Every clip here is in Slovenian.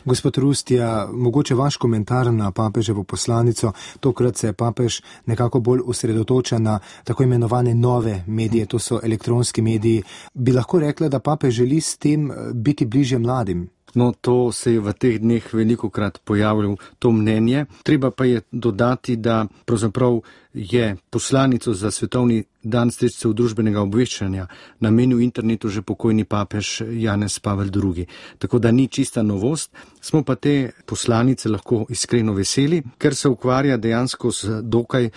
Gospod Rustja, mogoče vaš komentar na papeževo poslanico. Tokrat se papež nekako bolj osredotoča na tako imenovane nove medije, to so elektronski mediji. Bi lahko rekla, da papež želi s tem biti bliže mladim? No, to se je v teh dneh velikokrat pojavljalo to mnenje. Treba pa je dodati, da pravzaprav je poslanico za svetovni dan sredstev družbenega obveščanja namenil internetu že pokojni papež Janez Pavel II. Tako da ni čista novost, smo pa te poslanice lahko iskreno veseli, ker se ukvarja dejansko z dokaj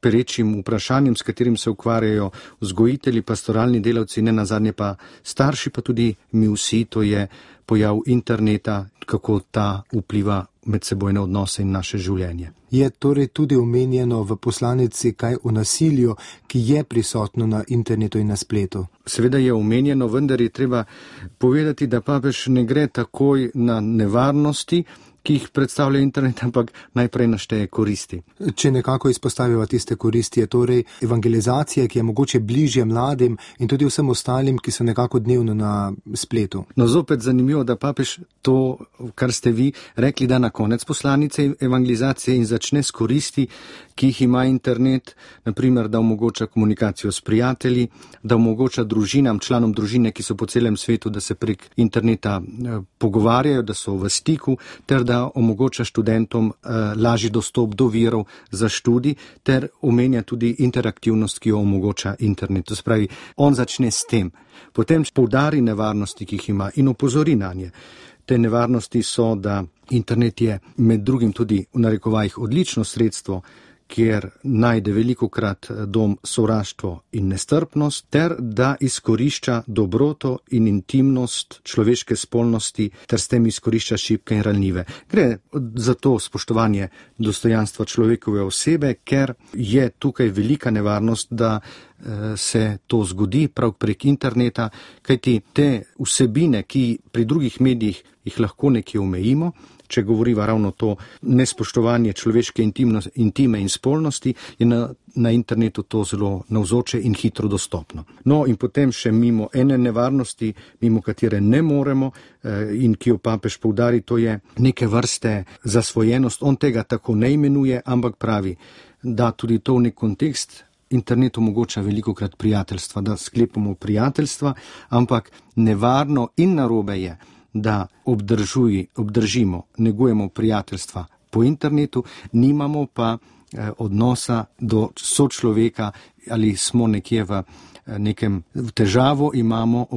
perečim vprašanjem, s katerim se ukvarjajo vzgojitelji, pastoralni delavci, ne nazadnje pa starši, pa tudi mi vsi, to je pojav interneta, kako ta vpliva medsebojne odnose in naše življenje. Je torej tudi omenjeno v poslanici kaj o nasilju, ki je prisotno na internetu in na spletu? Seveda je omenjeno, vendar je treba povedati, da papež ne gre takoj na nevarnosti, ki jih predstavlja internet, ampak najprej našteje koristi. Če nekako izpostaviva tiste koristi, je torej evangelizacija, ki je mogoče bližje mladim in tudi vsem ostalim, ki so nekako dnevno na spletu. No, zopet zanimivo, da papež to, kar ste vi rekli, da na konec poslanice evangelizacije in začne s koristi, ki jih ima internet, naprimer, da omogoča komunikacijo s prijatelji, da omogoča družinam, članom družine, ki so po celem svetu, da se prek interneta pogovarjajo, da so v stiku, ter da omogoča študentom lažji dostop do virov za študij, ter omenja tudi interaktivnost, ki jo omogoča internet. To se pravi, on začne s tem. Potem poudari nevarnosti, ki jih ima in opozori na nje. Te nevarnosti so, da internet je med drugim tudi v narekovajih odlično sredstvo, kjer najde velikokrat dom sovraštvo in nestrpnost, ter da izkorišča dobroto in intimnost človeške spolnosti, ter s tem izkorišča šibke in ranljive. Gre za to spoštovanje dostojanstva človekove osebe, ker je tukaj velika nevarnost, da se to zgodi prav prek interneta, kajti te vsebine, ki pri drugih medijih jih lahko nekje omejimo, če govoriva ravno to nespoštovanje človeške intime in spolnosti, je na internetu to zelo navzoče in hitro dostopno. No in potem še mimo ene nevarnosti, mimo katere ne moremo in ki jo papež poudari, to je neke vrste zasvojenost. On tega tako ne imenuje, ampak pravi, da tudi to v nek kontekst. Internet omogoča velikokrat prijateljstva, da sklepamo prijateljstva, ampak nevarno in narobe je, da obdržimo, negujemo prijateljstva po internetu, nimamo pa odnosa do sočloveka ali smo nekje v nekem težavo, imamo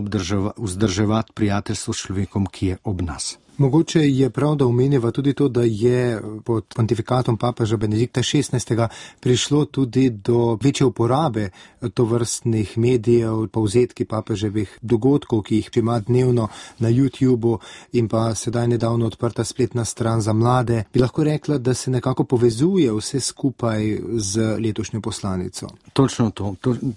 vzdrževati prijateljstvo s človekom, ki je ob nas. Mogoče je prav, da omenjava tudi to, da je pod pontifikatom papeža Benedikta XVI. Prišlo tudi do večje uporabe tovrstnih medijev, povzetki papeževih dogodkov, ki jih ima dnevno na YouTubeu in pa sedaj nedavno odprta spletna stran za mlade. Bi lahko rekla, da se nekako povezuje vse skupaj z letošnjo poslanico? Točno to.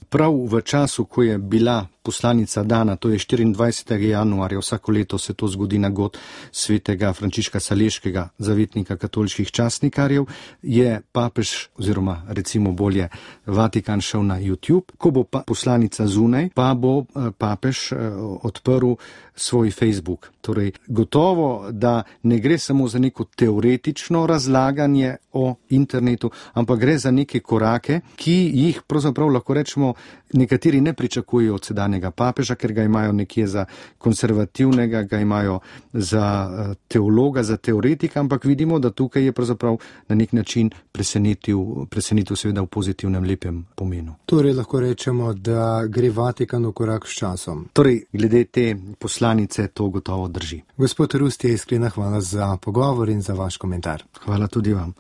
Prav v času, ko je bila poslanica dana, to je 24. januarja, vsako leto se to zgodi na god svetega Frančiška Saleškega, zavetnika katoliških časnikarjev, je papež, oziroma recimo bolje Vatikan šel na YouTube. Ko bo poslanica zunaj, pa bo papež odprl svoj Facebook. Torej, gotovo, da ne gre samo za neko teoretično razlaganje o internetu, ampak gre za neke korake, ki jih pravzaprav lahko rečemo nekateri ne pričakujejo od sedanjega papeža, ker ga imajo nekje za konservativnega, ga imajo za teologa, za teoretika, ampak vidimo, da tukaj je pravzaprav na nek način presenetil seveda v pozitivnem, lepem pomenu. Torej lahko rečemo, da gre Vatikan v korak s časom. Torej, glede te poslanice to gotovo drži. Gospod Rustja, iskrena hvala za pogovor in za vaš komentar. Hvala tudi vam.